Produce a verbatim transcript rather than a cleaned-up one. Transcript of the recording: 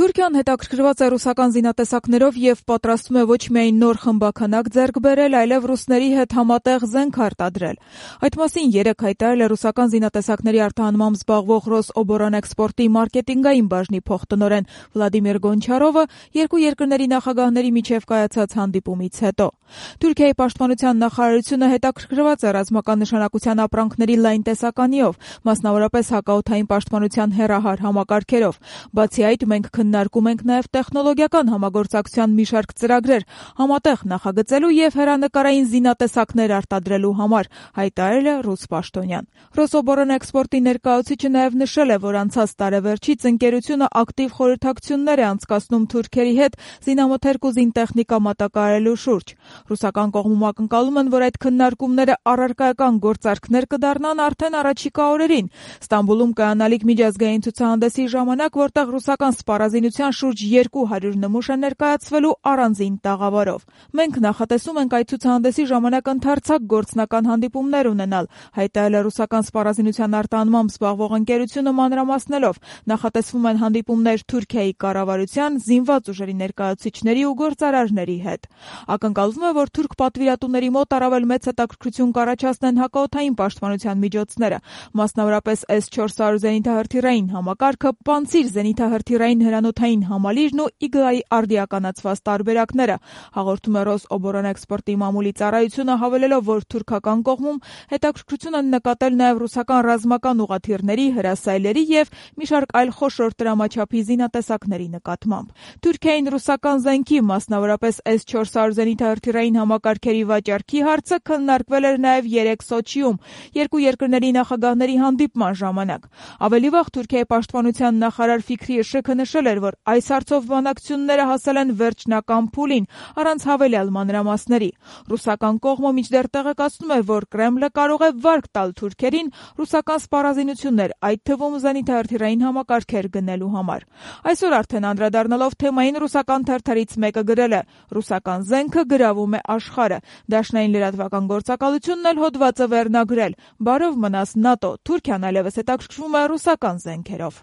Թուրքիան հետաքրքրված է ռուսական զինատեսակներով եւ պատրաստվում է ոչ միայն նոր խմբաքանակ ձեռք բերել, այլև ռուսների հետ համատեղ զենք արտադրել։ Այդ մասին երեկ հայտարարել է ռուսական զինատեսակների արտահանմամբ զբաղվող Ռոսոբորանէքսպորտի մարքեթինգային բաժնի փոխտնօրեն Վլադիմիր Գոնչարովը երկու երկրների նախագահների միջև կայացած հանդիպումից հետո։ Թուրքիայի պաշտպանության նախարարությունը հետաքրքրված է ռազմական նշանակության ապրանքների լայն տեսականիով, մասնավորապես հակաօդային պաշտպանության հեռահար համակարգերով։ Բացի այդ, մենք քննարկում ենք նաև տեխնոլոգիական համագործակցության մի շարք ծրագրեր համատեղ նախագծելու եւ հեռանկարային զինատեսակներ արտադրելու համար, հայտարարել է ռուս պաշտոնյան։ Ռոսոբորանէքսպորտի ներկայացուցիչը նաև նշել է, որ անցած տարեվերջից ընկերությունը ակտիվ խորհրդակցություններ է անցկացնում թուրքերի հետ զինամթերք ու զինտեխնիկա մատակարարելու շուրջ։ Ռուսական կողմում ակնկալում են, որ այդ քննարկումները առարկայական գործարքներ կդառնան արդեն առաջիկա օրերին։ Ստամբուլում կայանալիք միջազգային ցուցահանդեսի ժամանակ, որտեղ ռուսական սպառազինության շուրջ երկու հարյուր նմուշ է ներկայացվելու առանձին տաղավարով։ Մենք նախատեսում ենք այդ ցուցահանդեսի ժամանակ ընդարձակ գործնական հանդիպումներ ունենալ, հայտարարել է ռուսական սպառազինության արտահանմամբ զբաղվող ընկերությունը մանրամասնելով։ Նախատեսվում են հանդիպումներ Թուրքիայի կառավարության, զինված ուժերի ներկայացուցիչների ու գործարարների հետ։ Ակնկալվում է, որ թուրք պատվիրատուների մոտ առավել մեծ հետաքրքրություն կառաջացնեն հակաօդային պաշտպանության միջոցները, մասնավորապես էս չորս հարյուր զենիթահրթիռային համակարգը, Պանցիր զենիթահրթիռային հրանոթային համալիրն ու Իգլայի արդիականացված տարբերակները, հաղորդում է Ռոսոբորանէքսպորտի մամուլի ծառայությունը, հավելելով, որ թուրքական կողմում հետաքրքրություն են նկատել նաև ռուսական ռազմական ուղղաթիռների, հրասայլերի եւ մի շարք այլ խոշոր տրամաչափի զինատեսակների նկատմամբ։ Թուրքիային ռուսական զենքի, մասնավորապես էս չորս հարյուր զենիթահրթիռային համակարգերի վաճառքի հարցը քննարկվել էր նաև երեկ Սոչիում երկու երկրների նախագահների հանդիպման ժամանակ։ Ավելի վաղ Թուրքիայի պաշտպանության նախարար Ֆիքրի Իշեքը նշել էր, որ այս հարցով բանակցությունները հասել են վերջնական փուլին, առանց հավելյալ մանրամասների։ Ռուսական կողմը մինչդեռ տեղեկացնում է, որ Կրեմլը կարող է վարկ տալ թուրքերին ռուսական սպառազինություններ, այդ թվում զենիթահրթիռային համակարգեր գնելու համար։ Այսօր արդեն անդրադառնալով թեմային, ռուսական թերթերից մեկը գրել է. «Ռուսական զենքը գրավում է աշխարհը»։ Դաշնային լրատվական գործակալությունն էլ հոդվածը վերնագրել. «Բարով մնաս ՆԱՏՕ, Թուրքիան այլևս հետաքրքրվում է ռուսական զենքերով»։